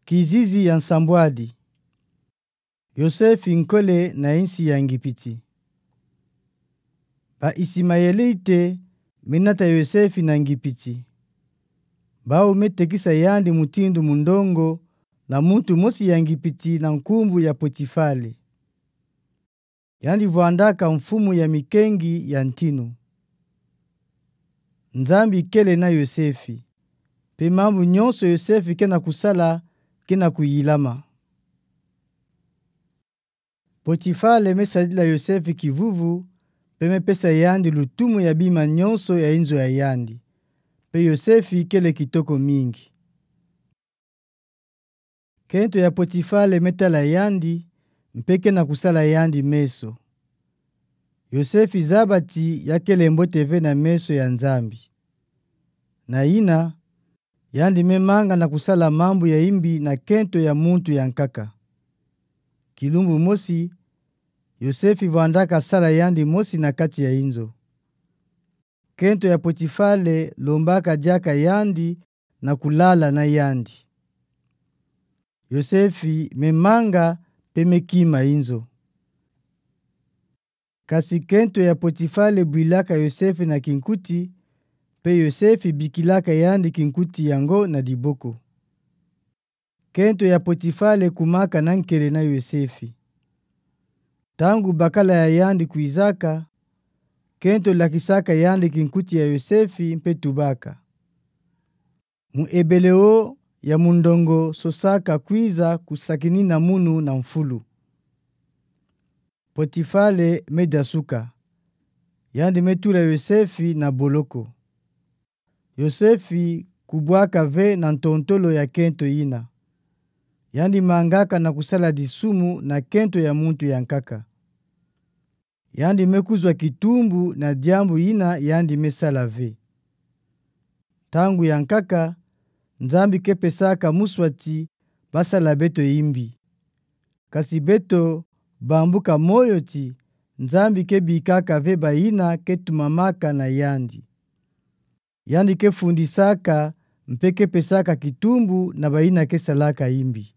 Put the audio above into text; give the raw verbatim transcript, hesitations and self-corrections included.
Kizizi ya nsambwadi. Yosefi nkole na nsi ya Ngipiti. Ba Isimaelite menata Yosefi na Ngipiti. Bau metekisa yandi mutindu mundongo na muntu mosi ya Ngipiti na nkumbu ya Potifale. Yandi vwandaka mfumu ya mikengi ya ntinu. Nzambi kele na Yosefi, pe mambu nyonso Yosefi kena kusala kena kuyilama. Potifale mesadila Yosefi kivuvu, pe mepesa yandi lutumu ya bima nyonso ya inzo ya yandi, pe Yosefi kele kitoko mingi. Kento ya Potifale metala yandi, mpe kena kusala yandi meso. Yosefi zaba ti ya kele mbote ve na meso ya Nzambi. Na yina, yandi memanga na kusala mambu ya imbi na kento ya muntu ya nkaka. Kilumbu mosi, Yosefi vwandaka sala yandi mosi na kati ya inzo. Kento ya Potifale lombaka diaka yandi na kulala na yandi. Yosefi memanga pe mekima inzo. Kasi kento ya Potifale bwilaka Yosefi na kinkuti, pe Yosefi bikilaka yandi kinkuti yango na diboko. Kento ya Potifale kumaka na nkele na Yosefi. Ntangu bakala ya yandi kwizaka, kento lakisaka yandi kinkuti ya Yosefi mpe tubaka: Muebeleo ya mundongo sosaka kwiza kusakinina munu na mfulu. Potifale medasuka. Yandi metula Yosefi na boloko. Yosefi kubwaka ve na ntontolo ya kento yina. Yandi mangaka na kusala disumu na kento ya muntu ya nkaka. Yandi mekuzwa kitumbu na diambu yina yandi mesala ve. Ntangu ya nkaka, Nzambi kepesaka muswa ti basala beto imbi. Kasi beto bambuka moyo ti Nzambi kebikaka ve bayina ketumamaka na yandi. Yandi kefundisaka mpe kepesaka kitumbu na bayina kesalaka imbi.